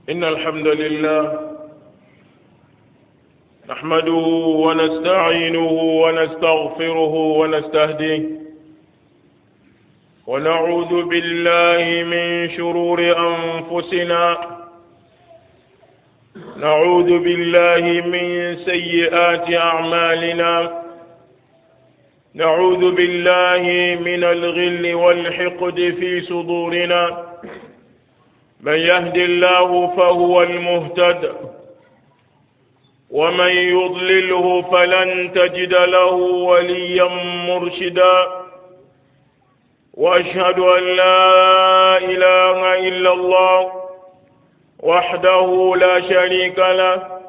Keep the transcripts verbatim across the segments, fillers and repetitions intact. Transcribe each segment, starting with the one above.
إن الحمد لله نحمده ونستعينه ونستغفره ونستهديه ونعوذ بالله من شرور أنفسنا نعوذ بالله من سيئات أعمالنا نعوذ بالله من الغل والحقد في صدورنا من يهد الله فهو المهتد ومن يضلله فلن تجد له وليا مرشدا واشهد ان لا اله الا الله وحده لا شريك له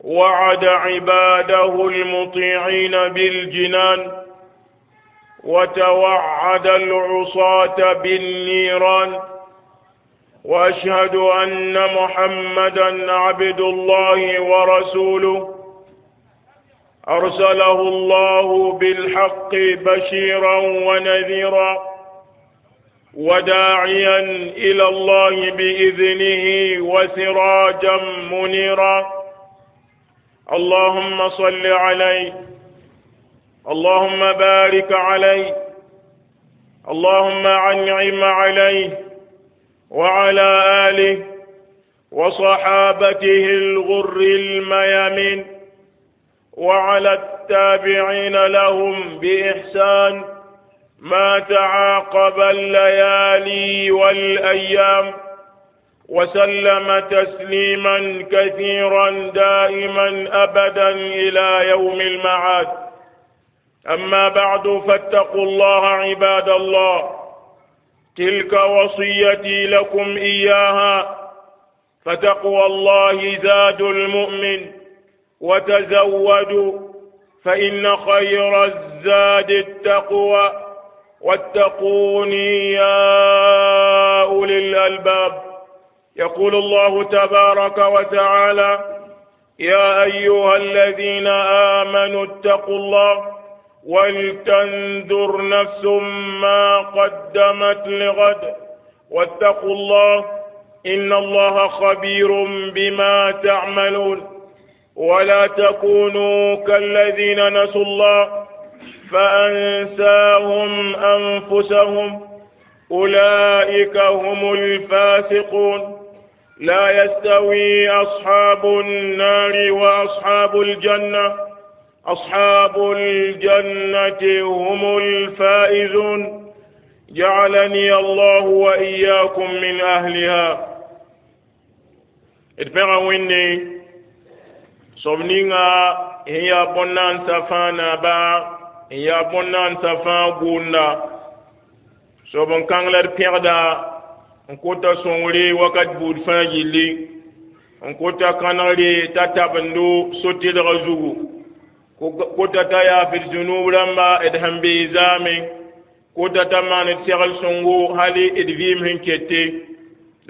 وعد عباده المطيعين بالجنان وتوعد العصاة بالنيران واشهد ان محمدا عبد الله ورسوله ارسله الله بالحق بشيرا ونذيرا وداعيا الى الله باذنه وسراجا منيرا اللهم صل عليه اللهم بارك عليه اللهم انعم عليه وعلى آله وصحابته الغر الميامين وعلى التابعين لهم بإحسان ما تعاقب الليالي والأيام وسلم تسليما كثيرا دائما أبدا إلى يوم المعاد. أما بعد، فاتقوا الله عباد الله، تلك وصيتي لكم إياها، فتقوى الله زاد المؤمن، وتزودوا فإن خير الزاد التقوى، واتقوني يا أولي الألباب. يقول الله تبارك وتعالى: يا أيها الذين آمنوا اتقوا الله ولتنظر نفس ما قدمت لغد واتقوا الله إن الله خبير بما تعملون. ولا تكونوا كالذين نسوا الله فأنساهم أنفسهم، أولئك هم الفاسقون. لا يستوي أصحاب النار وأصحاب الجنة، أصحاب الجنة هم الفائزون. جعلني الله وإياكم من أهلها. D pẽga Wẽnde soab ninga sẽn yaa bõn-naandsã fãa naaba, n yaa bõn-naandsã fãa gʋʋnda, soab n kãng la d pẽgda, n kota sõngre wakat buud fãa gilli, n kota kãnegre t'a tabendo so-tɩlga zugu, kota t'a yaaf d zũnub rãmba d sẽn bee zaame, kota t'a maan d segl sõngo hali d vɩɩm sẽn kete.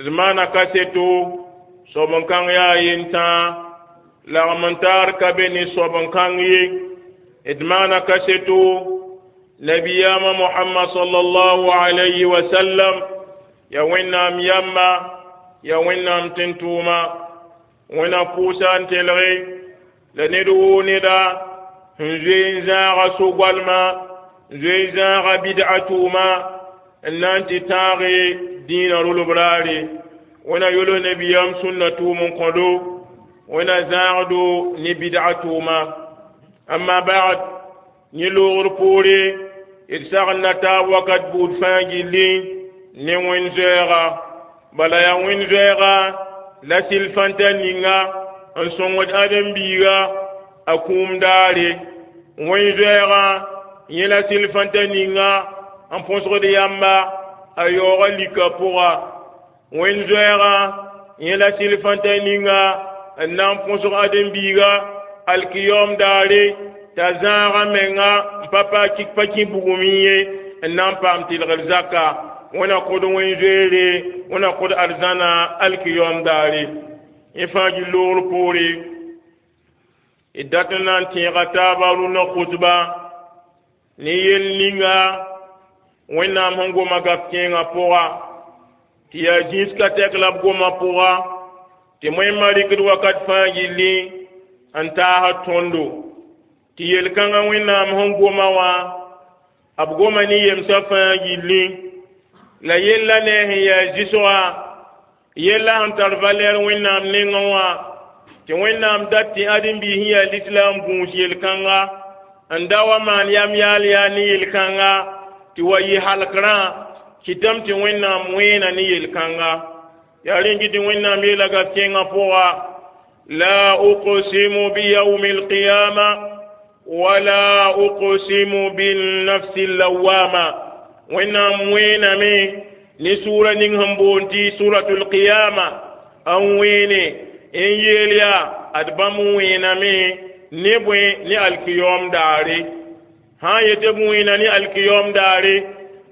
D maana kaseto soab n kãng yaa yentãa, lagm n taar ka be ne soab n kãng ye. D maana kaseto nabiyaamã Mohamad sallallahu alayhi wa sallam ya Wẽnnaam yamba, ya Wẽnnaam tẽn-tʋʋma. Wẽna pʋʋsa n telge la ned woo neda sẽn zoe n zãaga so-goalma, n zoe n zãaga bid'a tʋʋma, n na n tɩ tãage dĩinã rolb raare. Wẽna yol nabiyaam sũnna tʋʋm n kõdo, wẽna zãagdo ne bid'a tʋʋma. Amma ba'd, yẽ loogr poore d sagn na taab wakat buud fãa gilli ne wẽnd zoɛɛga. Bala yaa wẽnd zoɛɛga la sɩl fãnta ninga n sõngd ãdem-biiga a kũum daare. Wẽnd zoɛɛgã yẽ la sɩl fãnta ninga n põsgd yamba a yaooga lika pʋga. Wẽnd zoɛɛgã yẽ la sɩl fãnta ninga n na n põsg ãdem-biiga alkiyaoom daare t'a zãaga menga n pa pa pa kẽ bugum ye n na n paam tɩlgr zaka. Wẽna kod wẽn zoeere, wẽna kod arzãna alkiyaoom daare. Yẽ fãa gil loogr poore d dat n na n tẽega taaba rũnã khutba ne yell ninga Wẽnnaam sẽn goma gaf kẽengã pʋga tɩ yaa zĩis ka tɛk la b goma pʋga. Tɩ wẽnnaamã rɩkd wakat fãa gilli n taasd tõndo tɩ yel-kãngã Wẽnnaam sẽn goma wã, b goma ne yemsã fãa gilli. La yella ne sẽn yaa zɩsgã, yella sẽn tar valɛr Wẽnnaam nengẽ wã, tɩ Wẽnnaam dat tɩ ãdem-biis sẽn yaa lislaam gũus yel-kãnga n da wa maan yam yaal yaa ne yel-kãnga tɩ wa yɩ halkrã kɩtame tɩ Wẽnnaam wẽena ne yel-kãnga. Yaa rẽn kɩ tɩ Wẽnnaam yeela gaf kẽngã pʋga: لا أقسم بيوم القيامة ولا أقسم بالنفس اللوامة. Wẽnnaam wẽename ne sʋʋra ning sẽn boond tɩ suratul qiyama, n wẽene n yeel yaa ad bãmb wẽename ne bõe? Ne alkiyaoom daare. Sã n yetɩ b wẽena ne alkiyaoom daare,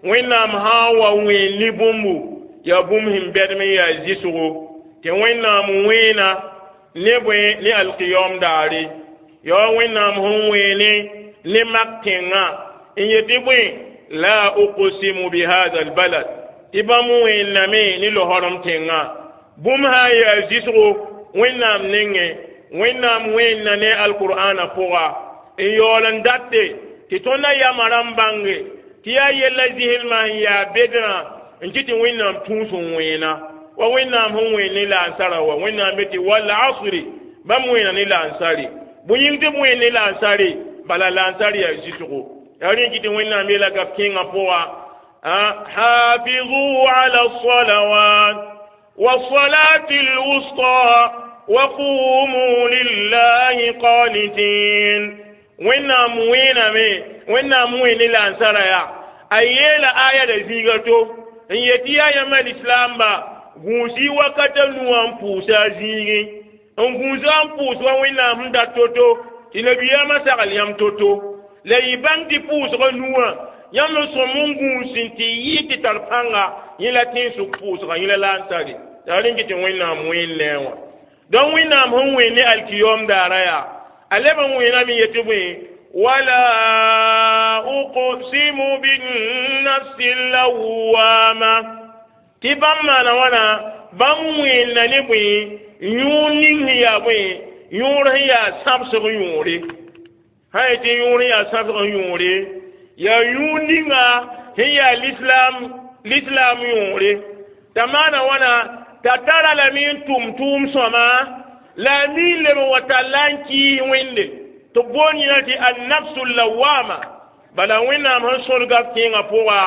Wẽnnaam sã n wa wẽen ne bũmbu, yaa bũmb sẽn bɛdem n yaa zɩsgo tɩ Wẽnnaam wẽena ne bõe? Ne alkiyaoom daare. Yaa Wẽnnaam sẽn wẽene ne mak tẽngã n yetɩ bõe? La uqsimu bihada albalad, tɩ bãmb wẽenname ne lohorem tẽngã. Bũmb sã n yaa zɩsgo Wẽnnaam nengẽ, Wẽnnaam wẽenna ne alqur'ana pʋga n yaool n date tɩ tõndã yama rãmb bãnge tɩ yaa yella zɩslmã sẽn yaa bedrã n kɩ tɩ Wẽnnaam tũus n wẽena wa Wẽnnaam sẽn wẽen ne laansara wa. Wẽnnaam be tɩ wal asri, bãmb wẽena ne laansare. Bõe yĩng tɩ b wẽen ne laansare? Bala laansar yaa zɩsgo. Yaa rẽ kɩ tɩ Wẽnnaam yeela gaf kẽngã pʋga: حافظوا على الصلوات والصلاة الوسطى وقوموا لله قانتين. Wẽnnaam wẽename, Wẽnnaam wẽen ne laansara yaa a yeela aya da zĩiga to n yetɩ yaa yãmba lislaamba gũusi wakata nuwã n pʋʋsa a zĩigẽ, n gũusa n pʋʋs wa Wẽnnaam sẽn dat to-to tɩ nabiyaamã sagl yãmb to-to. La yɩ bãng tɩ pʋʋsgã nuwã yãmb n sõm n gũus n tɩ yɩ tɩ tar pãnga yẽ la tẽnsʋk pʋʋsga, yẽ la laansare. Yaa rẽn kɩ tɩ Wẽnnaam wẽen ne a wã. Donc Wẽnnaam sẽn wẽen ne alkiyoom daara yaa a leb n wẽename yetɩ bõe? ولا أقسم بالنفس اللوامة, tɩ bãmb maana wãna, bãmb wẽenna ne bõe? Yõor ning sẽn yaa bõe? Yõor sẽn yaa sãbsg yõore. Sã n yetɩ yõor sẽn yaa sãbsg yõore, yaa yũud ninga sẽn yaa lislaam, lislaam yõore t'a maana wãna t'a tara lame n tʋm tʋʋm sõma la a mi n leb n wa talla n kɩɩs Wẽnde tɩ b boond yẽna tɩ annafsu lawama. Bala Wẽnnaam sẽn sõd gaf kẽengã pʋga,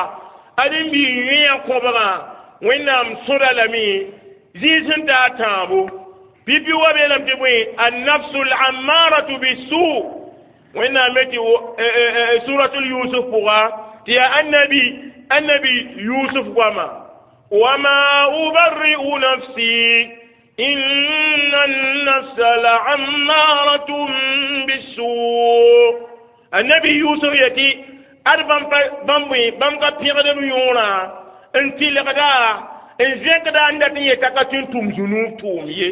ãdem-biig yõe kõbgã Wẽnnaam sõda lame zĩig sẽn taa tãabo pipi wa beelame tɩ bõe? Annafsu lammaratu bisu. Wẽnnaam me tɩ suratul Yusuf pʋga tɩ yaa annabi annabi Yusuf goama: وما أبرئ نفسي إن النفس لعمارة بالسوء. النبي يوسف يتي ad bãmb bãmb ka pẽgd b yõorã n tɩlgda n zẽkda n dat n yeta ka tɩ n tʋm zũnuub tʋʋm ye,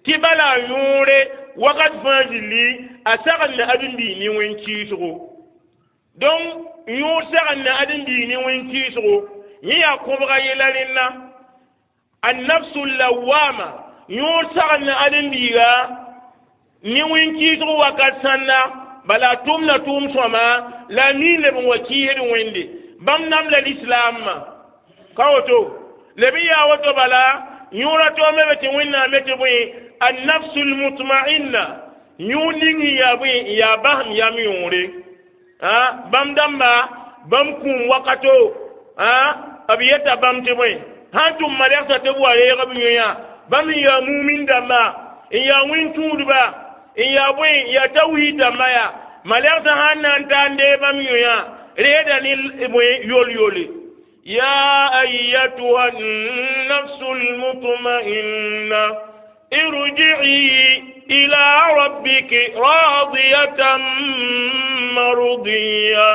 tɩ bala a yõore wakat fãa zilli a sagl ne ãdem-biig ne wẽn-kɩɩsgo. Donc yõor sagl ne ãdem-biig ne wẽn-kɩɩsgo, yẽ yaa kõbga yɛla rẽnna annafsu lawama. Yõor sagl ne ãdem-biiga ne wẽn-kɩɩsg wakat sãnda, bala a tʋmda tʋʋm sõma la a mi leb n wa kɩɩsd Wẽnde. Bãmb namla lislaamã ka woto leb n yaa woto. Bala yõora toome be tɩ Wẽnnaam me tɩ bõe? Annafsu lmutma'inna, yõor ning sẽn yaa bõe? N yaa basem yam yõore. Bãmb dãmba bãmb kũum wakato b yeta bãmb tɩ bõe? Sãn tʋm malɛgsa tɩ b wa reeg b yõyã, bãmb n yaa mumin dãmba, n yaa wẽn-tũudba, n yaa bõe? N yaa tawhiid dãmba. Yaa malɛgsã sãn na n ta n dee bãmb yõyã reeda ne bõe? Yol-yole: يا أيتها النفس المطمئنة ارجعي إلى ربك راضية مرضية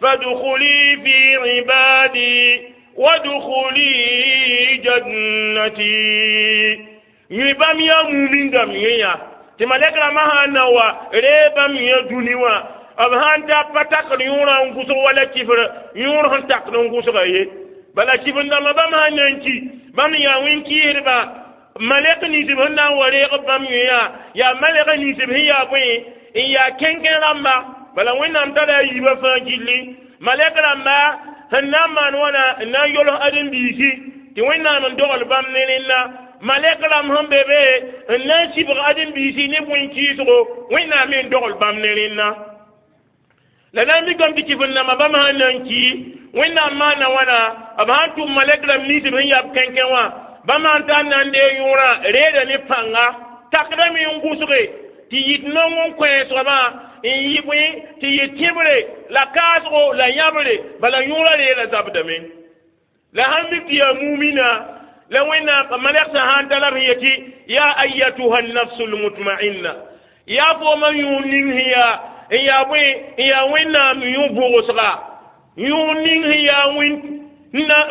فادخلي في عبادي وادخلي جنتي. Yẽ bãmb yaa mumin dãmb yẽ yaa tɩ malɛk rãmbã sã n na wa ree bãmb yẽ dũni wã, b sãn ta pa takd yõorã n gʋsg wala kifr yõor sẽn takd n gʋsga ye. Bala kifr dãmbã bãmb sãn na n ki, bãmb yaa wẽn-kɩɩsdba, Malɛk nins b sẽn na n wa reeg bãmb yũ yaa malɛk nins b sẽn yaa bõe n yaa kẽnkẽ rãmba bala Wẽnnaam tara a yiibã fãa gilli malɛk rãmba sẽn na n maan wãna n na n yols ãdem-biisi tɩ Wẽnnaam n dogl bãmb ne rẽnda malɛk rãmb sẽn be be n na n sɩbg ãdem-biisi ne bõe-kɩɩsgo Wẽnnaam me n dogl bãmb ne rẽnda la na n mikame tɩ kɩf-n-dãmbã bãmb sãn na n ki Wẽnnaam maana wãna b sãn tʋm malɛk rãmb nins b sẽn yaa b kẽnkẽ wã bãmb sãn tar na n deeg yõorã reeda ne pãnga takdame n gʋsge tɩ yit nong n kõ soabã n yɩ bõe tɩ yɩ tẽbre la kaasgo la yãbre bala yõorã reera zabdame la sãn mik tɩ yaa mumina la Wẽnnaam malɛgsã sãn tara b sẽn yetɩ ya ayatuha nafsu lmutma'inna yaa fooma yũur ning sẽn yaa n yaa bõe n yaa Wẽnnaam yũ bʋgsga yũur ning sẽn yaa wẽn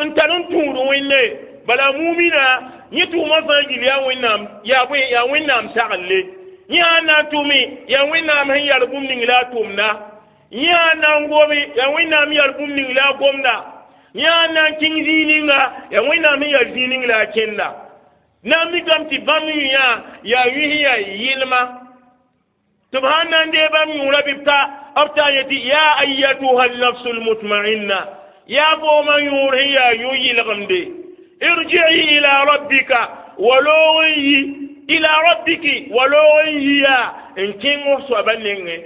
n tar n tũud Wẽnde bala mumina yẽ tʋʋmã fãa gil yaa Wẽnnaam yaa bõe yaa Wẽnnaam sagle yẽ sãn na n tʋme yaa Wẽnnaam sẽn yar bũmb ning la a tʋmda yẽ sãn na n gome yaa Wẽnnaam yar bũmb ning la a gomda yẽ sãn na n kẽng zĩig ninga yaa Wẽnnaam sẽn yar zĩig ning la a kẽnda na n mikame tɩ bãmb yũ yaa yũ sẽn yaa yɩlma tɩ b sãn na n dee bãmb yũurã bɩ b ta b ta n yetɩ ya ayatuha nafsu lmutma'inna yaa foomã yũur sẽn yaa yũ yɩlgemde irji'i ila rabbika waloog n yi ila rabbiki waloog n yiya n kẽng f soabã nengẽ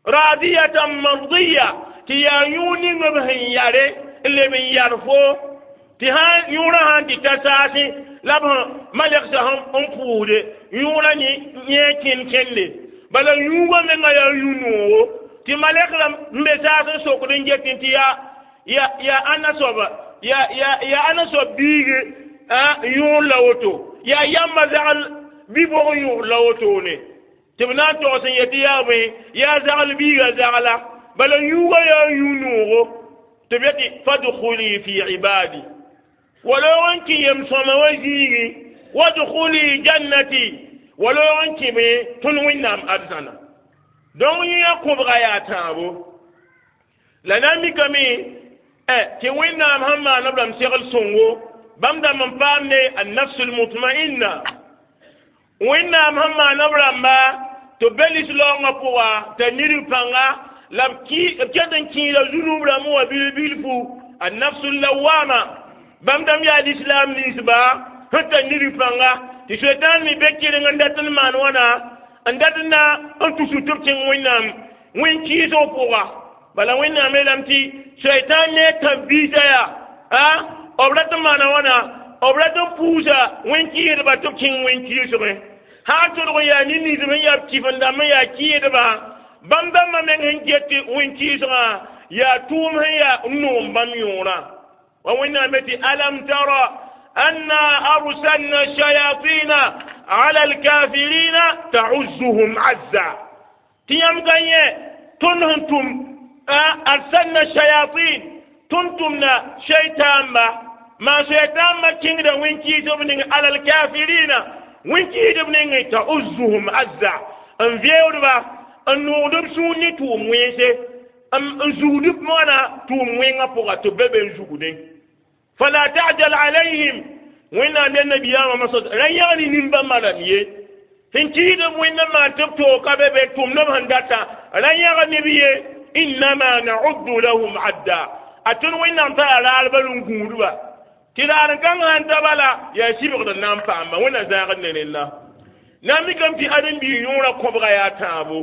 radiyatan mardiya tɩ yaa yũur ning b sẽn yare n leb n yar fo tɩ sãn yũurã sãn tɩ ta saasẽ la b malɛgsã n pʋʋsde yũurã yẽ kẽnd kẽnde bala yũugã menga yaa yũ-noogo tɩ malɛk rãmb n be saas n sokd n get tɩ yaa yaa ãnna soaba yaa yaa ãnna soab biige yõor la woto yaa yãmba zagl bi-bog yõor la wotone tɩ b na n togs n yetɩ yaa bõe yaa zagl biiga zagla bala yũugã yaa yũ-noogo tɩ b yetɩ fadkhuli fi ibadi waloog n kẽ yem-sõma wã zĩigẽ wadkhuli jannati waloog n kẽ bõe tõnd Wẽnnaam arzãna donc yẽ kõbga yaa tãabo la na n mikame tɩ Wẽnnaam sẽn maan b rãmb segl sõngo bãmb dãmb n paam ne annafsu lmutma'inna Wẽnnaam sẽn maan b rãmba tɩ b be lislaoongã pʋga t'a nidb pãnga la b ket n kẽeda zunub rãmb wã bil-bilfu annafsu lawama bãmb dãmb yaa lislaam ninsba sẽn tar nidb pãnga tɩ soetãan me be kɩreng n dat n maan wãna n dat n na n tusg tɩ b kẽng Wẽnnaam wẽn-kɩɩsg pʋga bala Wẽnnaam yeelame tɩ soetãan ne a tãb-biisã yaa b rat n maana wãna b rat n puusa wẽn-kɩɩsdba tɩ b kẽng wẽn-kɩɩsgẽ sã n tʋdg n yaa nin-ninsb sẽn yaa b kɩf-n-dãmb n yaa kɩɩdba bãmb dãmbã meng sẽn get wẽn-kɩɩsgã yaa tʋʋm sẽn yaa n noom bãmb yõorã wa Wẽnnaam tɩ alam tara anna arsalna shayatina ala alkafirina ta'uzzuhum azza tɩ yãmb ka yẽ tõnd sẽn tʋm arsalna shayatin tõnd tʋmda shaytãamba maa shaytãambã kẽngda wẽn-kɩɩsb ning ala alkafirina wẽn-kɩɩsb nengẽ ta'uzzuhum azza n veoodba n noogd b sũur ne tʋʋm wẽnse n zugd b wãna tʋʋm wẽngã pʋga tɩ b be be n zugdẽ fala ta'jal alayhim Wẽnnaam yaa nabiyaamã masã ra yãg ne nin-bãmbã rãmb ye sẽn kɩɩsd b Wẽnd n maan tɩ b toog ka be be tʋmd b sẽn data ra yãg neb ye innama na'uddu lahum adda a tõnd Wẽnnaam tara raarbã n gũudba tɩ raar n kãng sãn ta bala yaa sɩbgd n na n paamba Wẽnna zãagd ne rẽnda na n mikame tɩ ãdem-biig yõorã kõbga yaa tãabo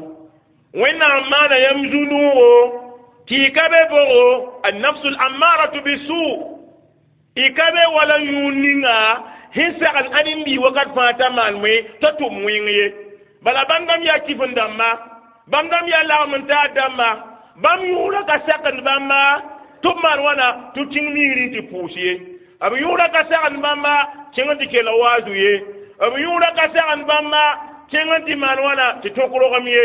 Wẽnnaam maana yãmb zu-noogo tɩ y ka be bogo annafsu lammaratu bisu y ka be wala yũur ninga sẽn sagl ãdem-biig wakat fãa t'a maan moe t'a tʋm wẽng ye bala bãmb dãmb yaa kɩf-n-dãmba bãmb dãmb yaa lagm n taar dãmba bãmb yũurã ka sakend bãmba tɩ b maan wãna tɩ b kẽng migrẽ tɩ pʋʋs ye b yũurã ka sagend bãmba kẽng n tɩ kell waazu ye b yũurã ka sagend bãmba kẽng n tɩ maan wãna tɩ tõk rogem ye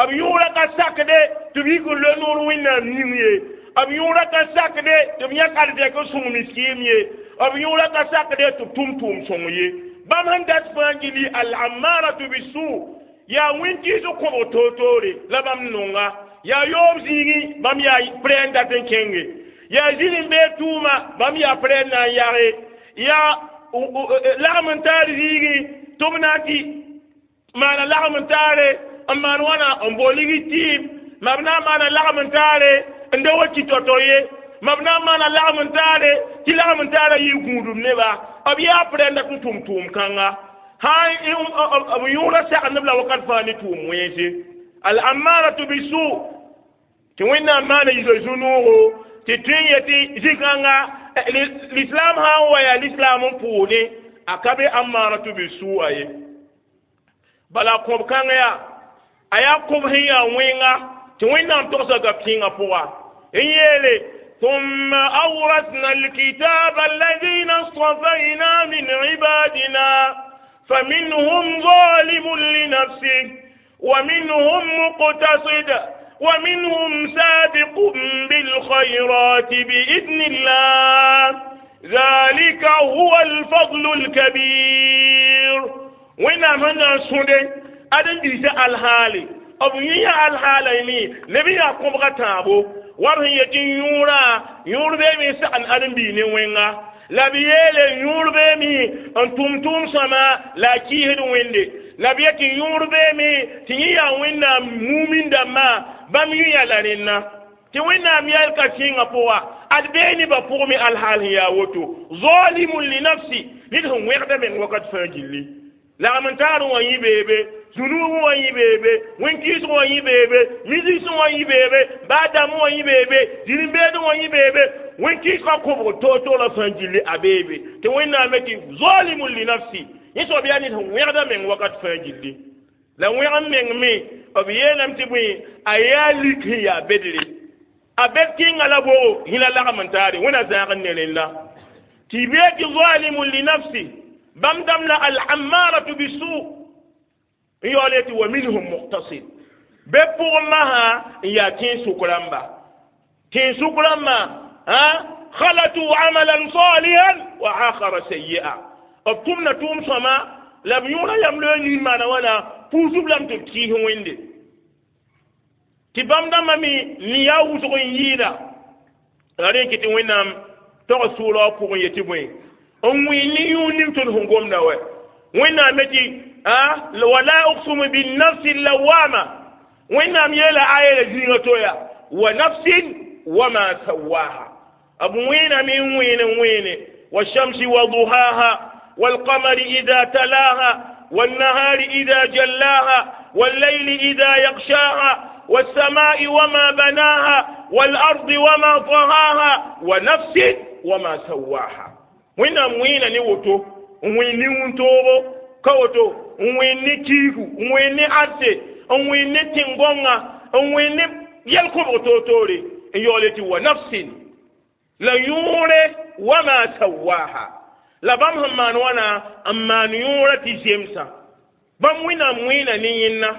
b yũurã ka sakde tɩ b yik n lo noor Wẽnnaam yĩng ye b yũurã ka sakde tɩ b yãk arzɛk n sõng miskiim ye b yũurã ka sakde tɩ b tʋm tʋʋm sõng ye bãmb sẽn dat fãa gilli al-ammaratu bisu yaa wẽn-kɩɩs kõbg toor-toore la bãmb nonga yaa yoob zĩigẽ bãmb yaa prɛ n dat n kẽnge yaa zĩr n bee tʋʋma bãmb yaa prɛ n na n yage yaa lagm n taar zĩigi tɩ b na n tɩ maana lagm n taare n maan wãna n bo ligi tɩɩm ma b na n maana lagm n taare n da wa ki tao-tao ye ma b na n maana lagm n taare tɩ lagm n taara yɩ gũudum neba b yaa p rẽnda tɩ tʋm tʋʋm kãnga sã b yõoda sagndb la wakat fãa ne tʋʋm wẽnse al-ammaratu bisu tɩ wẽnnaam maana yisa zu-noogo tɩ tõe n yetɩ zĩ-kãnga l'islam sã n wa yaa l'islam n pʋʋne a ka be ammaratu bisu'a ye bala kõb kãng yaa a yaa kõb sẽn yaa wẽnga tɩ wẽnnaam togsa gap-kẽngã pʋga n yeele ثم أورثنا الكتاب الذين اصطفينا من عبادنا فمنهم ظالم لنفسه ومنهم مقتصد ومنهم سابق بالخيرات بإذن الله ذلك هو الفضل الكبير وين من سودة أدن بيس الحالي أبو يا الحالي نبي يقوم غتابو wa sẽn yetɩ yõorã yõor beeme sagn ãdem-biig ne wẽnga la b yeele yõor beeme n tʋm tʋʋm sõma la a kɩɩsd wẽnde la b yetɩ yõor beeme tɩ yẽ yaa wẽnnaam mumin dãmbã bãmb yũ la rẽnna tɩ wẽnnaam yɛl ka sɩngã pʋga ad bee nebã pʋgme alhaal sẽn yaa woto zalimun li nafsi ned sẽn wẽgda meng wakat fãa gilli lagm n taar wã yĩ beebe zũnuub wã yĩ beebe wẽn-kɩɩsg wã yĩ beebe misgs wã yĩ beebe baa dãmb wã yĩ beebe zĩr-n-beed wã yĩ beebe wẽn-kɩɩsgã kõbg toor-toor la fãa gilli a beebe tɩ wẽnnaam tɩ zalimun li nafsi yẽ soab yaa ned sẽn wẽgda meng wakat fãa gilli la wẽg n meng me b yeelame tɩ bõe a yaa lik sẽn yaa bedre a bed kẽnga la bogo yẽla lagm n taare wẽna zãag n ne rẽnda tɩ bee tɩ zalimun li nafsi bãmb dãmb la al-ammaratu bisu n yaool tɩ wa minhum muqtasid be pʋgẽ masã n yaa tẽn-sʋk rãmba tẽn-sʋk rãmbã khalatu amalan salihan wa akhara sayyi'a b tʋmda tʋʋm sõma la b yõoda yam loe nin maana wãna puusb lame tɩ b kɩɩs wẽnde tɩ bãmb dãmbã me ne yaa wʋsg n yɩɩda la rẽ kɩ tɩ wẽnnaam tog sʋʋra wã pʋgẽ yetɩ bõe n wẽ ne yũud ning tõnd sẽn gomda wɛ wẽnnaam me tɩ wala uqsimu binnafsi lawama wẽnnaam yeela aya la zĩigã to ya wa nafsin wama sawaha b wẽename n wẽene n wẽene والشمس وضحاها والقمر إذا تلاها والنهار إذا جلاها والليل إذا يغشاها والسماء وما بناها والأرض وما طهاها ونفس وما سواها wẽnnaam wẽena ne woto n wẽn ne wũntoogo ka woto n wẽn ne kiigu n wẽn ne arse n wẽn ne tẽn-gõngã n wẽn ne yɛl-kõbg toor-toore n yaool tɩ wa nafsin la yõore wama sawaha la bãmb sẽn maan wãna n maan yõorã tɩ zemsã bãmb wẽnnaam wẽena ne yẽnna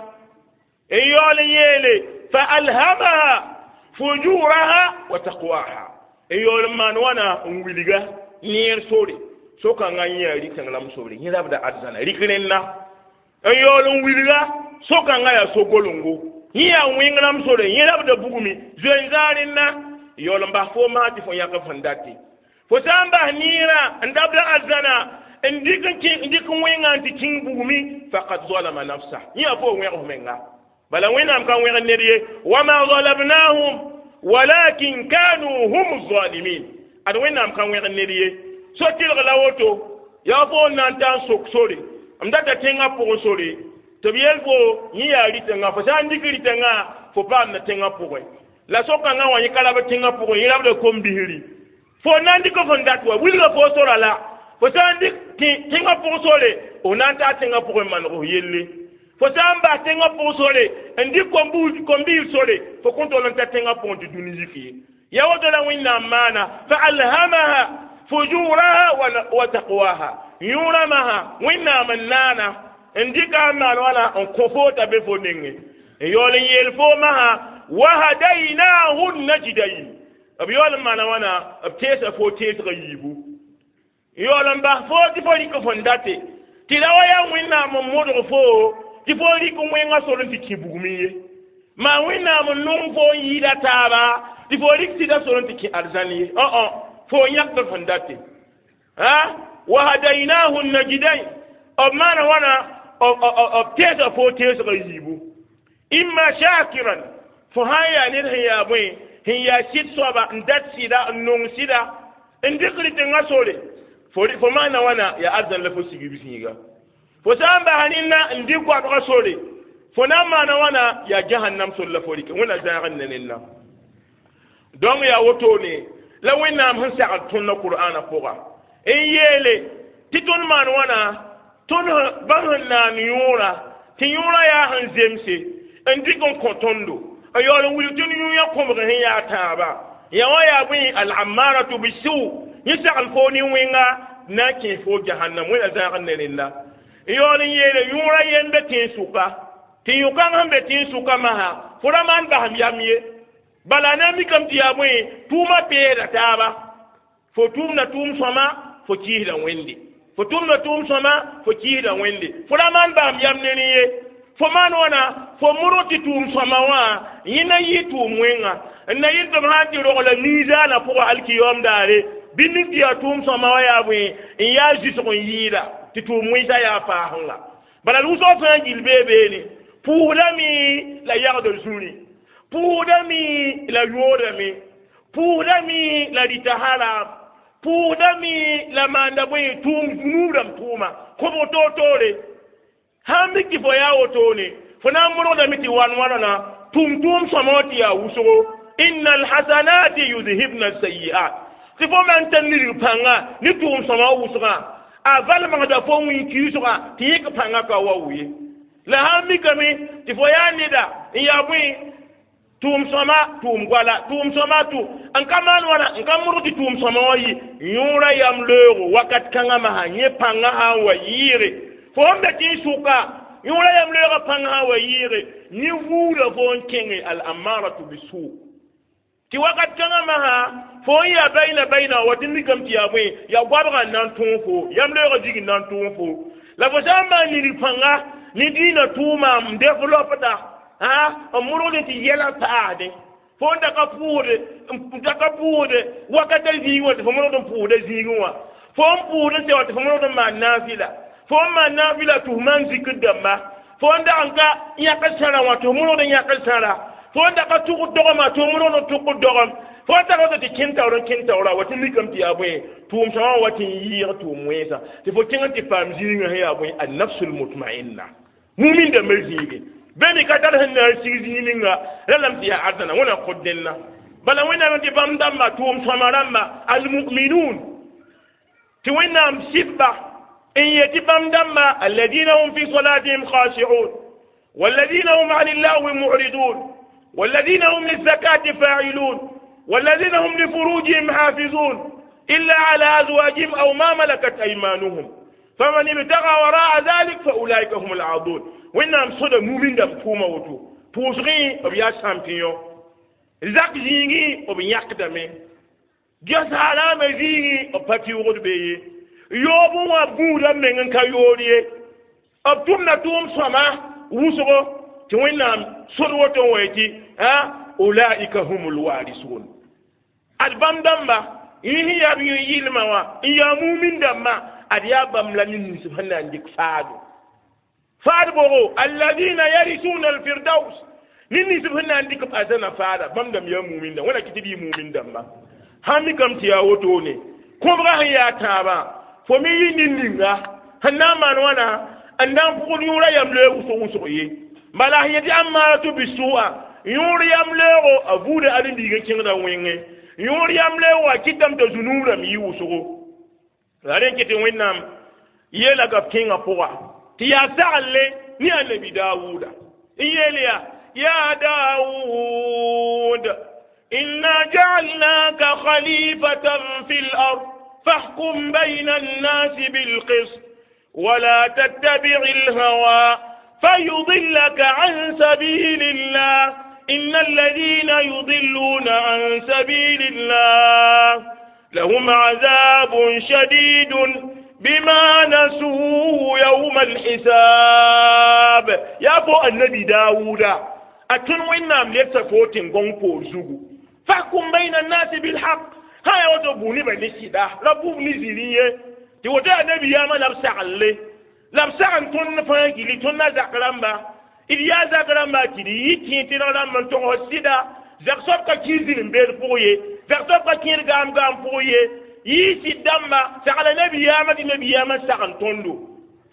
n yaool n yeele fa alhamaha fujuraha wa taqwaha n yaool n maan wãna n wilga neer sore so-kãngã yẽ rɩk n rãmb sobre yẽ rabda arzãna rɩk rẽnna n yaool n wilga so-kãngã yaa so-golengo yẽ yaa wẽng rãmb sore yẽ rabda bugmi zoe n zaa rẽnna yaool n bas fo maa tɩ fo yãk f n date fo sã n bas neerã n dabda arzãna n dɩk n dɩk wẽngã n tɩ kĩng bugmi faqad zalama nafsa yẽ yaa fo wẽg f menga bala wẽnnaam ka wẽg ned ye wama zalamnahum walakin kanu hum zalimin ad wẽnnaam ka wẽg ned ye so tɩlg la woto yaa fo n na n taa n sok sore m data tẽngã pʋgẽ sore tɩ b yel fo yẽ yaa rɩtẽngã fo sã n dɩk rɩtẽngã fo paamda tẽngã pʋgẽ la so-kãngã wã yẽ ka rab tẽngã pʋgẽ yẽ rabda kom-bisri fo na n dɩk f n dat wa wilga fo sora la fo sã n dɩk tẽngã pʋg sore f na n taa tẽngã pʋgẽ maneg f yelle fo sã n bas tẽngã pʋg sore n dɩk kom-biis sore fo kõn tol n ta tẽngã pʋgẽ tɩ dũni yik ye ya woto la wẽnnaam maana fa alhamaha fujuraha wa taqwaha yõorã masã wẽnnaam n naana n dɩka n maan wãna n kõ fo t'a be fo nengẽ n yaool n yeel fo masã wahadainahu najdain b yaool n maana wãna b teesa fo teesgã yiibu yaool n bas fo tɩ fo rɩk fõn date tɩ ra wa yaa wẽnnaam n modg fo tɩ fo rɩk wẽngã sor n tɩ kẽ bugmẽ ye maa wẽnnaam n nong fo n yɩɩda taaba tɩ fo rɩk sɩda sor n tɩ kẽ arzãn ye õ fo yãkd fõn date Ha wahadainahu najdain b maana wãna b teesa fo teesga yiibu imma shakiran fo sã n yaa ned sẽn yaa bõe sẽn yaa sɩd soaba n dat sɩda n nong sɩda n dɩkd tẽngã sore fo fo maana wãna yaa arzãn la fo sigb zĩiga fo sã n bas rẽnna n dɩk goabga sore fo na n maana wãna yaa jahannam sor la fo rɩke wẽnna zãag n ne rẽnna donc yaa wotone la wẽnnaam sẽn sagl tõndã qur'ana pʋga n yeele tɩ tõnd maan wãna tõnd bãmb sẽn naan yõora tɩ yõora yaa sẽn zemse n dɩk n kõ tõndo n yaool n wilg tõnd yũ-yã kõbg sẽn yaa tãabã yã wã yaa bõe al-ammaratu bisu yẽ sagl fo ne wẽnga na n kẽes fo jahannam wẽnna zãag n ne rẽnda n yaool n yeele yõora yem be tẽn-sʋka tɩ yõ-kãng sẽn be tẽn-sʋka masã fo ra maan basem yam ye bala na n mikame tɩ yaa bõe tʋʋmã peeda taaba fo tʋʋmda tʋʋm sõma fo kɩɩsda wẽnde fo tʋmda tʋʋm sõma fo kɩɩsda wẽnde fo ra maan basem yam ne rẽ ye fo maan wãna fo modg tɩ tʋʋm sõma wã yẽ na yɩ tʋʋm wẽnga n na yɩl tɩ b sã n tɩ rogla miizaanã pʋgã alkiyoom daare bɩ mik tɩ yaa tʋʋm sõma wã yaa bõe n yaa zɩsg n yɩɩda tɩ tʋʋm wẽnsã yaa faasẽnga bala d wʋsg fãa gill bee beene pʋʋsdame la yagd zũri pʋʋsdame la yoodame pʋʋsdame la rɩta haram pʋʋsdame la maanda bõe tʋʋm zunuub rãmb tʋʋma kõbg toor-toore sãn mik tɩ fo yaa wotone fo na n modgdame tɩ wan wãna tʋm tʋʋm sõma wã tɩ yaa wʋsgo inna alhasanati yuzhibna sayiat tɩ fo man tar nidg pãnga ne tʋʋm sõma wã wʋsgã a valmgda fo wĩn-kiisgã tɩ yẽk pãnga ka wa ye la sãn mikame tɩ fo yaa neda n yaa bõe tʋʋm sõma tʋʋm goala tʋʋm sõma tʋ n ka maan wãna n ka modg tɩ tʋʋm sõma wã yɩ yõora yam leoogo wakat kãngã masã yẽ pãngã sã n wa yɩɩge fo sẽn be tẽn-sʋka yõora yam leoogã pãngã sã n wa yɩɩge yẽ vuuda fo n kẽnge al-amaratu bisu tɩ wakat kãngã masã fo n yaa bayna bayna wa tɩ mikame tɩ yaa bõe yaa goabgã n na n tõog fo yam leoogã zig n na n tõog fo la fo sã n maan nidg pãnga ne dĩinã tʋʋma n developda n modgd tɩ yɛla paasdẽ fo n da ka pʋʋsde n da ka pʋʋsde wakata zĩig wã tɩ fo modgd n pʋʋsda zĩigẽ wã fo n pʋʋsd n sɛ wã tɩ fo modgd n maan naafɩla fo n maan naafɩla tɩ f maan zikr dãmba fo n dag n ka yãkd sãrã wã tɩ f modgd n yãkd sãra fo n da ka tʋgd dogmã tɩ f modgd n tʋgd dogem fo n tag tɩ kẽn taoor n kẽn taoora wa tɩ mikame tɩ yaa bõe tʋʋm sõma wa tɩ n yɩɩg tʋʋm wẽnsa tɩ fo kẽng n tɩ paam zĩigã sẽn yaa bõe annafsul mutmainna mumin dãmbã zĩige be me ka tar sẽn na n sig zĩig ninga ralame tɩ yaa arzãna wẽna kõt dẽnna bala wẽnnaam tɩ bãmb dãmba tʋʋm sõma rãmba almuminun tɩ wẽnnaam sɩbba n yetɩ bãmb dãmba alladina hum fi salatihim khashi'un والذين هم عن اللغو معرضون والذين هم للزكاة فاعلون والذين هم لفروجهم حافظون إلا على أزواجهم أو ما ملكت أيمانهم فمن ابتغى وراء ذلك فأولئك هم العادون wẽnnaam sõda mumin dãmb tʋʋma woto pʋʋsgẽ b yaa champion zak zĩigẽ b yãkdame ges haraamã zĩigẽ b pa tɩʋgd be ye yoob wã b gũuda meng n ka yoor ye b tʋmda tʋʋm sõma wʋsgo tɩ wẽnnaam sod woto n wa tɩ ulaika hum lwarisun ad bãmb dãmba yẽ sẽn yaa b yẽ yɩlmã wã n yaa mumin dãmbã ad yaa bãmb la ned nins sẽn na n dɩk faado faad bogo alladina yarisuna alfirdaus ned nins sẽn na n dɩk b arzãna faada bãmb dãmb yaa mumin dãmb wẽna kɩ tɩ b yɩ mumin dãmba sãn mikame tɩ yaa wotone kõbga sẽn yaa tãabã fo me yɩ ned ninga sẽn na n maan wãna n na n pʋgd yõora yam leoog wʋsg wʋsg ye bala sẽn yetɩ amaratu bisu'a yõor yam leoogo a vuuda aren-biig n kẽngda wẽngẽ yõor yam leoogo a kɩtame t'a zunuub rãmb yɩ wʋsgo la rẽ kɩ tɩ wẽnnaam yeela gab kẽngã pʋga tɩ yaa saglle ne annabi dawuda n yeel yaa ya dawud inna jaalnaka khalifatan fi lard فاحكم بين الناس بالقسط ولا تتبع الهوى فيضلك عن سبيل الله إن الذين يضلون عن سبيل الله لهم عذاب شديد بما نسوا يوم الحساب يا بو النبي داوود أتون وين نام ليبتا فوتين غون بور زوغو فاحكم بين الناس بالحق Sã yaa woto bʋ nebã ne sɩda la bʋʋb ne zĩri ye tɩ woto yaa nabiyaamã la b saglle la b sag n tõnd fãa gilli tõnd na zak rãmba d yaa zak rãmba tɩ d yɩ kẽ tɩrg rãmb n togs sɩda zak soab ka kẽ zĩr-n-beed pʋg ye zak soab ka kẽed gaam gaam pʋg ye yɩ sɩd dãmba sagla nabiyaamã tɩ nabiyaamã sag n tõndo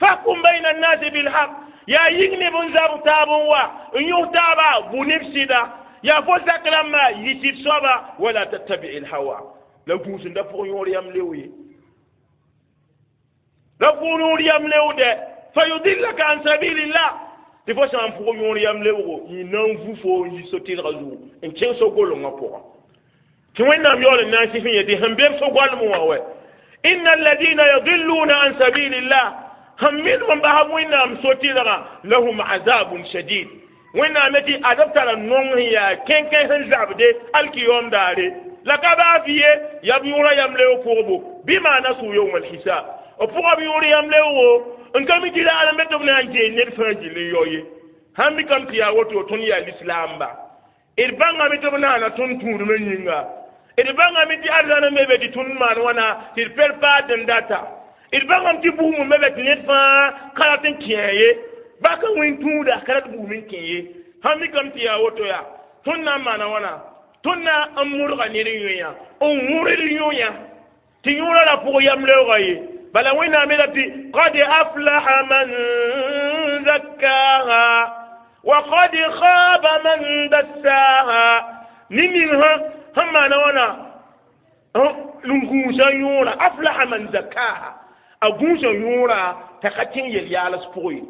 fahkum bayna annasi bilhaq yaa yĩng neb n zab taab n wa n yõs taaba bʋ neb sɩda yaa fo zak rãmba yɩ sɩd soaba wala tattabi lhawa la gũusenda pʋg yõor yam leo ye la pʋg yõor yam leoodɛ fayudillaka an sabilillah tɩ fo sã n pʋg yõor yam leoogo yĩ na n vu fo n yi so-tɩrgã zugu n kẽng so-golengã pʋgã tɩ wẽnnaam yaool n na n sɩf n yetɩ sẽn bem so-goalem wã wɛ inna alladina yadilluna an sabilillah sẽn minim n basb wẽnnaam so-tɩrgã lahum azabun shadid wẽnnaam tɩ ad b tara nong sẽn yaa kẽnkẽ sẽn zabde alkiyom daare la ka baa fɩ ye yaa b yõora yam leoog pʋgbo bɩ nasu yawm alhisab b pʋga b yõor yam leoogo n ka mi tɩ raar n be tɩ b na n geel ned fãa gill n yao ye sãn mi kam tɩ yaa woto tõnd yaa lislaamba d bãngame tɩ b naana tõnd tũudmã yĩnga d bãngame tɩ arzãn n be be tɩ tõnd maan wãna tɩ d per paad n data d bãngame tɩ bugum n be be tɩ ned fãa ka rat n kẽ ye ba ka wẽn tũuda ka rat bugum n kẽ ye sãn mi kam tɩ yaa woto yaa tõnd na n maana wãna tõnd na n modga ned yõe n wõrd yõya tɩ yõora la pʋg yam leoogã ye bala wẽnnaam yeela tɩ qad aflaha man zakkaha wa qad khaba man dassaha ne ning sã sẽn maana wãna n gũusa yõora aflaha man zakkaha a gũusa yõora t'a ka kẽng yel-yaals pʋg ye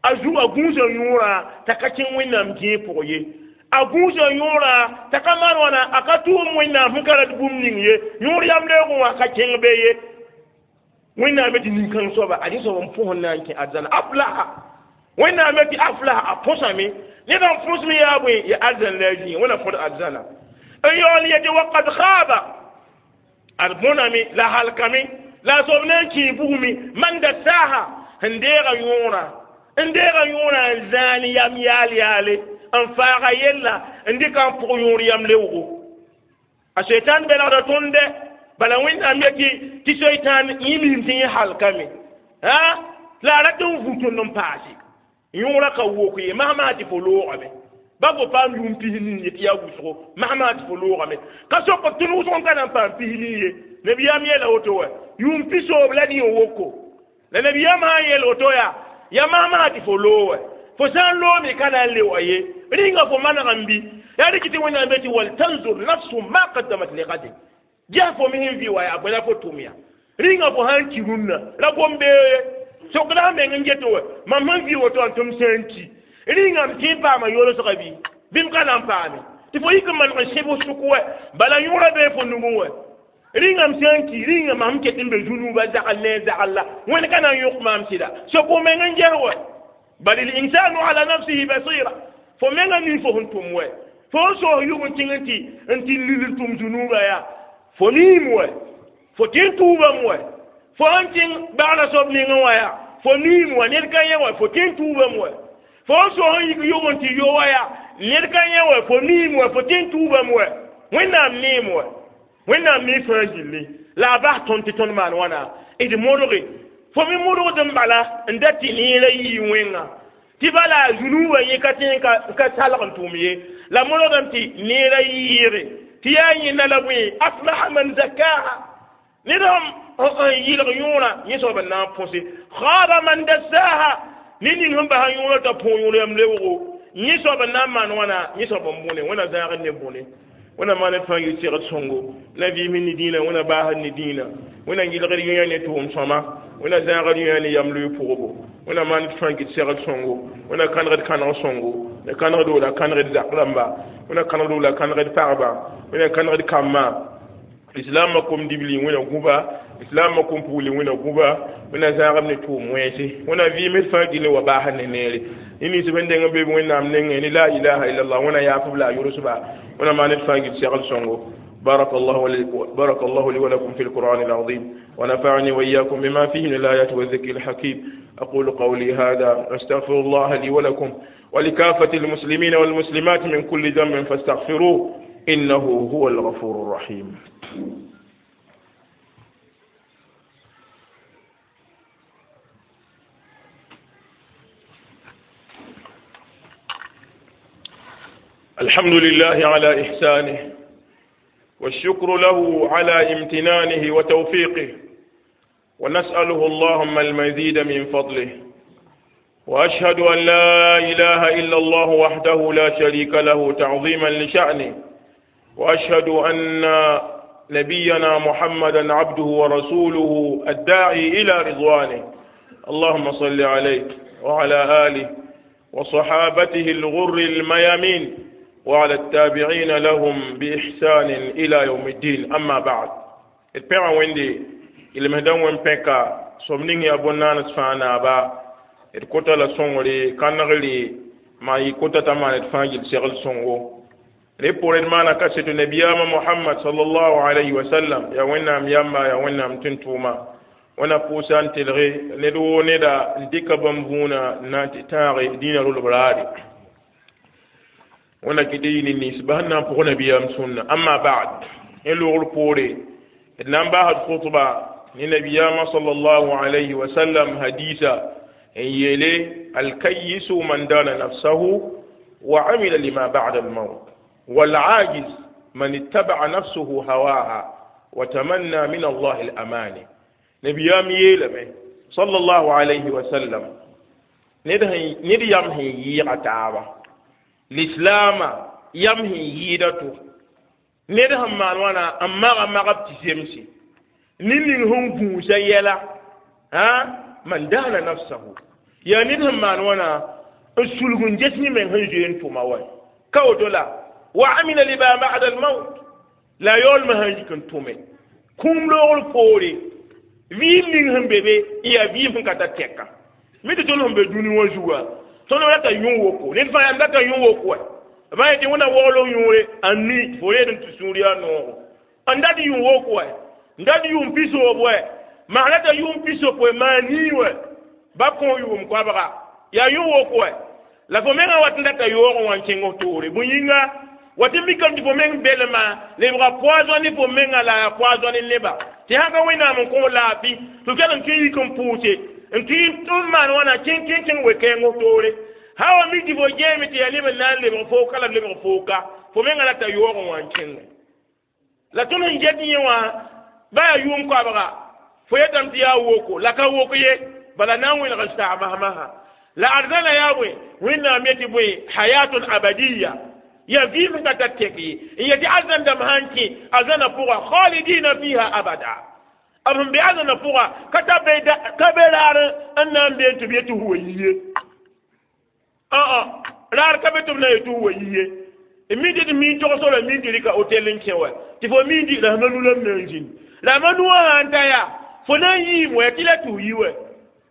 a zu a gũusa yõora t'a ka kẽng wẽnnaam dẽe pʋg ye a gũusa yõora t'a ka maan wãna a ka tʋʋm wẽnnaam sẽn ka rat bũmb ning ye yõor yam leoogẽ wã ka kẽng be ye wẽnnaam tɩ nin-kãng soaba ad soab n pʋs n na n kẽ arzãna aflaha wẽnnaam tɩ aflaha a põsame ned n põsme yaa bõe ya arzãn la a zĩig wẽna fõd arzãna n yaool yetɩ waqad khaba ad bõname la halkame la a soab na n kẽe bugme man dassaha sẽn deega yõora n deega yõora n zãan yam yaal yaale n faaga yella n dɩka n pʋg yõor yam leoogo a seitan belgda tõnd dɛ bala wẽnnaam yetɩ tɩ seitan yẽ miim tɩ yẽ halkame a la a rat n vu tõnd n paase yõora ka wok ye masmaa tɩ fo loogame ba fo paam yʋʋm pis-nii ye tɩ yaa wʋsgo masmaa tɩ fo loogame ka sok b tõnd wʋsg n ka na n paam pis-nii ye nabiyaam yeela woto wa yʋʋm pisoob la dĩ n woko la nabiyaam sã n yeel woto yaa yaa masmaa tɩ fo loog wa fo sã n loome ka na n leoa ye rĩnga fo maneg n bɩ yaa rɩk tɩ wẽnnaam be tɩ waltanzur nafsu ma qaddamat ligadin ges fo me sẽn vɩ wa yaa bõe la fo tʋm ya rĩnga fo sã n ki rũnnã ra gom-beoog ye sokda meng n get wa mam sẽn vɩ woto n tɩ m sã n ki rĩnga m tẽ n paama yolsga bɩ bɩ m ka na n paame tɩ fo yik n maneg n sẽb sʋk wɛ bala yõora bee fo nugẽ wɛ rĩnga m sã n ki rĩnga mam ket n be zunuubã zagl ne a zagl la wẽnd ka na n yõk maam sɩda sok fo meng n ges wɛ bal linsanu ala nafsihi basira fo menga mi fo sẽn tʋm wɛ fo n soos yʋg n tĩng n tɩ n tɩ lil n tʋm zunuubã yaa fo miim wɛ fo tɩ n tuubame wɛ fo sẽn kẽng bagrã soab nengẽ wã yaa fo miim wɛ ned ka yẽ wɛ fo tɩ n tuubame wɛ fo n soos n yik yʋg n tɩ yo wã yaa ned ka yẽ wɛ fo miim wɛ fo tɩ n tuubame wɛ wẽnnaam neem wɛ wẽnnaam mi fãa gilli la a bas tõnd tɩ tõnd maan wãna d modge fo me modgd n bala n da tɩ neerã yii wẽnga tɩ bala zunuubã yẽ ka tẽ ka salg n tʋm ye la modgdame tɩ neerã yɩɩge tɩ yaa yẽnda la bõe aflaha man zakaha ned sẽn yɩlg yõorã yẽ soab n na n põse khaba man dassaha ne ning sẽn basa yõorã t'a põog yõor yam leoogo yẽ soab n na n maan wãna yẽ soab n bõne wẽna zãagd ne bõne wẽna maan d fãa yɩ segd sõngo la vɩɩm ne dĩinã wẽna baasd ne dĩinã wẽna yɩlgd yõya ne tʋʋm sõma wẽna zãagd yõya ne yam loe pʋgbo wẽna maan d fãa gɩd segd sõngo wẽna kãnegd kãneg sõngo la kãnegdo la kãnegd zak rãmba wẽna kãnegdo la kãnegd pagba wẽna kãnegd kambã islaamã kom dibli wẽna gũba islaamã kom pugli wẽna gũba wẽna zãagb ne tʋʋm wẽnse wẽna vɩɩm d fãa gilli wa baasd ne neere ne nins sẽn deng n be wẽnnaam nengẽ ne la ilaha illallah wẽna yaafb la a yʋlsba wẽna maan d fãa gɩd segl sõngo بارك الله لي بارك الله لي ولكم في القرآن العظيم ونفعني وإياكم بما فيه من الآيات والذكر الحكيم أقول قولي هذا أستغفر الله لي ولكم ولكافة المسلمين والمسلمات من كل ذنب فاستغفروه إنه هو الغفور الرحيم. الحمد لله على إحسانه، والشكر له على امتنانه وتوفيقه، ونسأله اللهم المزيد من فضله، وأشهد أن لا إله إلا الله وحده لا شريك له تعظيما لشأنه، وأشهد أن نبينا محمدا عبده ورسوله الداعي إلى رضوانه. اللهم صل عليه وعلى آله وصحابته الغر الميامين وعلى التابعين لهم بإحسان إلى يوم الدين. أما بعد، البيع ويندي المهدن وين بيكا سومنين يا بنان سفانا با الكوتا لا سونغري كانغري ما يكوتا تمان الفاجل سيغل سونغو ريبور المانا كاسيت نبيام محمد صلى الله عليه وسلم يا وينام ياما يا وينام تنتوما وانا بوسان تلغي ندو ندا ndika bambuna nanti tare dina lolo brari وانا كديني نسبة نام بقول نبيام سنة. أما بعد، إلو البوري نام بعد خطبة نبيام صلى الله عليه وسلم حديثا يلي الكيس من دان نفسه وعمل لما بعد الموت، والعاجز من اتبع نفسه هواها وتمنى من الله الأماني. نبيام يلمه صلى الله عليه وسلم نديام هي يغتابه الإسلام يمهي يدته ندهم مالوانا أما ما قبت سيمسي نين هم بوسا يلا ها من دان نفسه يا ندهم مالوانا السلوك جسمي من هنجين توماوي كودولا وعمل لما بعد الموت لا يول ما هنجكن تومي كم لول فوري فيم نين هم بيبي يا فيم كاتا تكا ميت تولهم بدوني وجوا tono lata yun woko ne fa yanda ta yun woko ba yeti wona wolo yunre anni fore den tusuriya no anda di yun woko nda di yun piso bwe ma lata yun piso ko ma ni we ba kon yum ko ba ya yun woko la fo menga watinda ta yoro wan kengo tore buyinga wati mikam di fo meng belema le bra poison fo menga la poison leba ti hanga wina mon ko la bi to kelan ki kom puute nti tumman wana kin kin kin we kengo tore hawa miji bo jemi ti yalibe nan le fo kala le fo ka fo menga la ta yoro wan kin la tun njeti wa ba yum ko ba fo yetam ti ya woko la ka woko ye bala nan wi la sa ma ma la arzana ya we winna meti boy hayatun abadiyya ya vivre ka tateki ya ti azan dam hanki azana pour khalidina fiha abada abun bi azana pour kata be kabelar annan be to be to huwaye ah ah rar ka be to na to huwaye immediately mi to so la mi diri ka hotel nkewa ti fo mi di la manu la menjin la manu anta ya fo na yi mo ya tila tu yiwe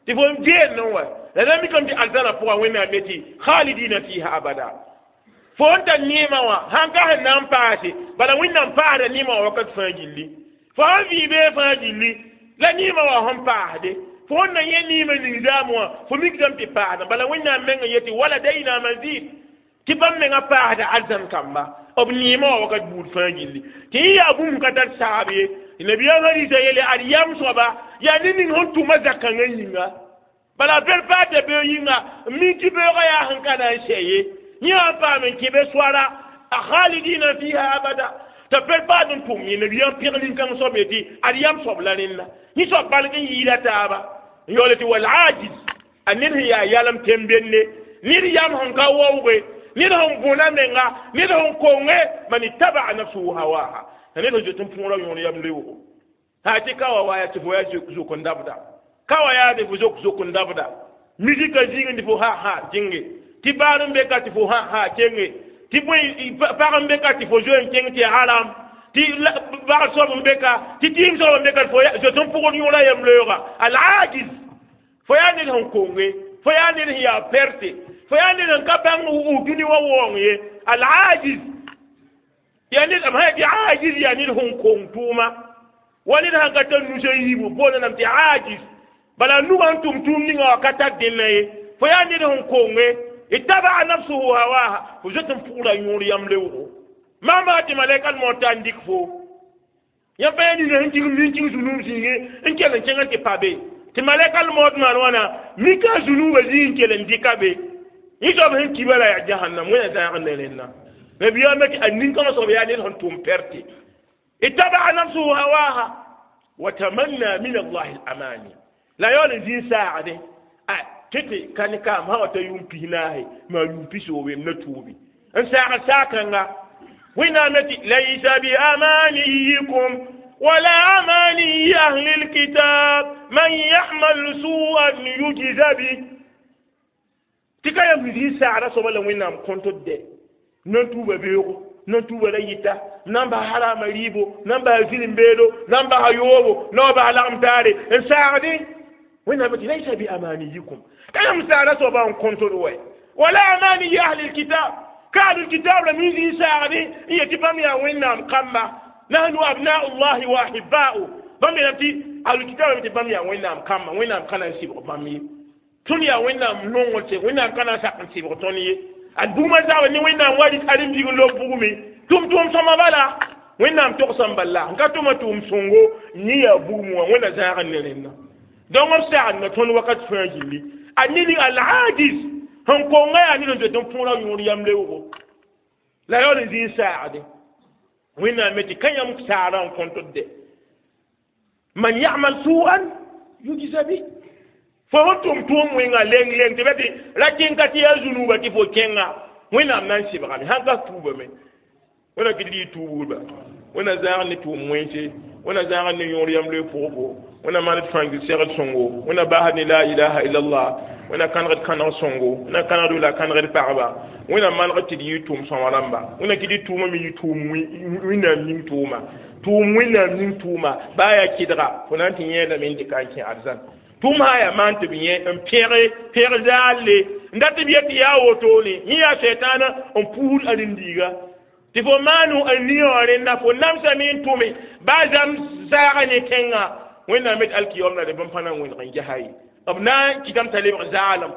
ti fo je no wa la na mi kom ti azana pour wena meti khalidina fiha abada fonta nima wa hanka hanan paase bala winnan paada nima wa wakat fãa gilli fo sãn vɩ bee fãa gilli la nima wa sẽn paasde fo sẽn na yẽ nima ning zaam wã fo mikdame tɩ paasda bala wẽnnaam mengã yetɩ wala dayna mazid tɩ bãmb mengã paasda arzãn kamba b nima wã wakat buud fãa gilli tɩ yẽ yaa bũmb ka tar saab ye tɩ nabiyaam hadisa yeele ad yam soaba yaa ne ning sẽn tʋma zakãngã yĩnga bala bel paata bee yĩnga mi tɩ beoogã yaa sẽn ka na n sɛ ye يا فامن كيف سوارا خالدين فيها أبدا تفر بعد أنتم ينبيان بيغلين كان صبيتي أريام صبلانين نيسو بالكين يلا تابا يولتي والعاجز أنين هي يالم تنبيني نيريام هنكا ووغي نيرهم بونا منغا نيرهم كونغي من اتبع نفسه هواها نيرهم جتن فورا يون يام ليوغو هاتي كاوا وايا تفويا زوكو ndabda kawa ya de fuzok zoko ndabda mizika zingi ndifo ha ha jingi ti baar n be ka tɩ fo ha ha kenge tɩ bõe pag n be ka tɩ fo zoe n kẽng tɩ haram tɩ bag soab n be ka tɩ tɩɩm soab n be ka fo zoet n pʋgd yõora yem-leooga al-ajiz fo yaa ned sẽn konge fo yaa ned sẽn yaa perte fo yaa ned sẽn ka bãng dũni wã waoong ye al-ajiz yaa ned b sã tɩ ajiz yaa ned sẽn kong tʋʋma wa ned sãn ka tar nusã yiibu boonda lame tɩ ajiz bala nugã n tʋm tʋʋm ninga wã ka tar dẽnna ye fo yaa ned sẽn konge اتبع نفسه هواها وجت فورا يور يملوه Mama tɩ malɛka mota n dɩk fo yã pa yaa nina sẽn kɩng min kĩng zũnub zĩigẽ n kell n kẽng n tɩ pa be tɩ malɛka maood maan wãna mika a zũnubã zĩig n kell n dɩka be yẽ soab sẽn kiba la yaa jahannam wẽna zãag ne rẽnna nabiyaamã tɩ a nin-kãngã soab yaa ned sẽn tʋm pɛrte ittabaa nafsuhu hawaha wa tamanna min allahi al-amani la yaool n zĩig saagdẽ a tɩ tɩ ka ne kaam sã wa ta yʋʋm pis naahe maa yʋʋm pisoobe m na tuubi n saagd saag-kãnga wẽnnaam tɩ laysa biamaniyikum wala amaniyi ahli lkitab man yamal suan yujza bi tɩ ka yam zĩig saagda soaba la wẽnnaam kõntd dɛ nan tuuba beoogo nan tuuba la yɩta nan bas harama rɩɩbo nan bas zĩrim-beedo nan bas yoobo na wa bas lagem taare n saagdẽ wẽnnaam tɩ laysa biamaniyikum ka yãmb saagda soaba n kõntd wɛ wala amaniyi ahli lkitab ka ahlul kitab la min zĩig saagdẽ n yet tɩ bãmb yaa wẽnnaam kamba nahnu abnau llahi wa ahibba'u bãmb yeelame tɩ ahlul kitab lame tɩ bãmb yaa wẽnnaam kamba wẽnnaam ka na n sɩbg bãmb ye tõnd yaa wẽnnaam nongr tɩ wẽnnaam ka na n sak n sɩbg tõnd ye ad bugmã zaaba ne wẽnnaam wa rɩk aren-biig n lob bugme tʋm tʋʋm sõma bala wẽnnaam togsã n bala n ka tʋma tʋʋm sõngo yẽ yaa bugum wã wẽnna zãag n ne rẽnna donc b sagenda tõnd wakat fãa gilli a ned al-ajiz sẽn konga yaa ned n zoet n põora yõor yam leoogo la yaool n zĩig saagde wẽnnaam me tɩ ka yãmb saarã n kõntd dɛ man yamal suan yujza bi fo sẽn tʋm tʋʋm wẽnga leng leng tɩ bã tɩ ra kẽng-ka tɩ yaa zũnuuba tɩ fo kẽnga wẽnnaam na n sɩbgame sãn ka tuubame wẽna kɩ d yɩ tuubgrba wẽna zãag ne tʋʋm wẽnse wẽna zãag ne yõor yam loe pʋgbo wẽna maan d fãng segd sõngo wẽna basd ne la ilaha illallah wẽna kãnegd kãneg sõngo wẽna kãnegd la kãnegd pagba wẽna manegd tɩ d yɩ tʋʋm sõma rãmba wẽna kɩ d tʋʋma me yɩ tʋʋm wẽnnaam ning tʋʋma tʋʋm wẽnnaam ning tʋʋma baa yaa kɩdga fo na n tɩ yẽedame n dɩka n kẽ arzãn tʋʋm sã yaa maan tɩ b yẽ n pẽge pẽg zaalle n dat b yet tɩ yaa wotone yẽ yaa sɛtaana n puusd aren-biiga tɩ fo maano n nia wã rẽnna fo namsame n tʋme baa zãm zaaga ne tẽngã wẽnnaam met alkiyom la de bãmb pa na n wẽneg n gesa ye b na n kɩtame t'a lebg zaalem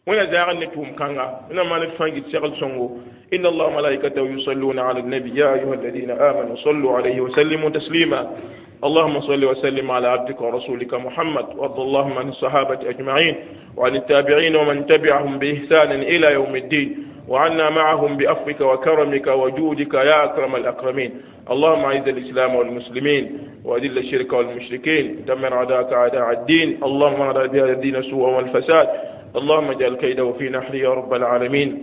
wẽna zaag ne tʋʋm kãnga wẽna maan d fãa gɩt segl sõngo إن الله وملائكته يصلون على النبي يا أيها الذين آمنوا صلوا عليه وسلموا تسليما اللهم صل وسلم على عبدك ورسولك محمد وارض اللهم عن الصحابة أجمعين وعن التابعين ومن تبعهم بإحسان إلى يوم الدين وعنا معهم بعفوك وكرمك وجودك يا أكرم الأكرمين اللهم أعز الإسلام والمسلمين وأذل الشرك والمشركين دمر أعداءك أعداء الدين اللهم أراد بهذا الدين سوءا والفساد اللهم اجعل كيده في نحره يا رب العالمين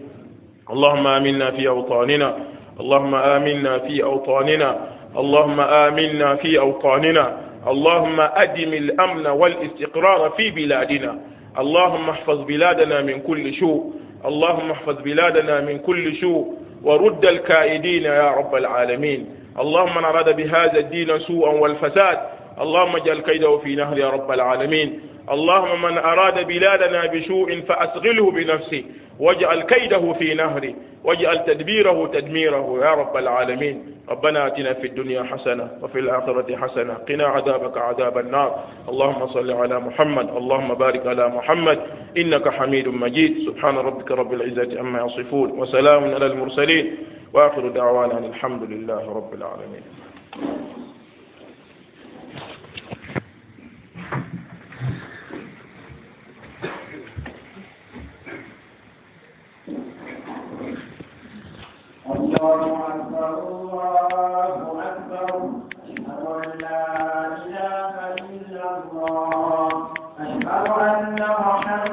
اللهم آمنا في أوطاننا اللهم آمنا في أوطاننا اللهم آمنا في أوطاننا اللهم أدم الأمن والاستقرار في بلادنا اللهم احفظ بلادنا من كل سوء اللهم احفظ بلادنا من كل سوء ورد الكائدين يا رب العالمين اللهم من أراد بهذا الدين سوءا والفساد اللهم اجعل كيده في نهر يا رب العالمين اللهم من أراد بلادنا بسوء فأسغله بنفسه واجعل كيده في نهره واجعل تدبيره تدميره يا رب العالمين ربنا آتنا في الدنيا حسنة وفي الآخرة حسنة قنا عذابك عذاب النار اللهم صل على محمد اللهم بارك على محمد إنك حميد مجيد سبحان ربك رب العزة عما يصفون وسلام على المرسلين وآخر دعوانا أن الحمد لله رب العالمين الله أكبر الله أكبر أشهد أن لا إله إلا الله أشهد أن محمدا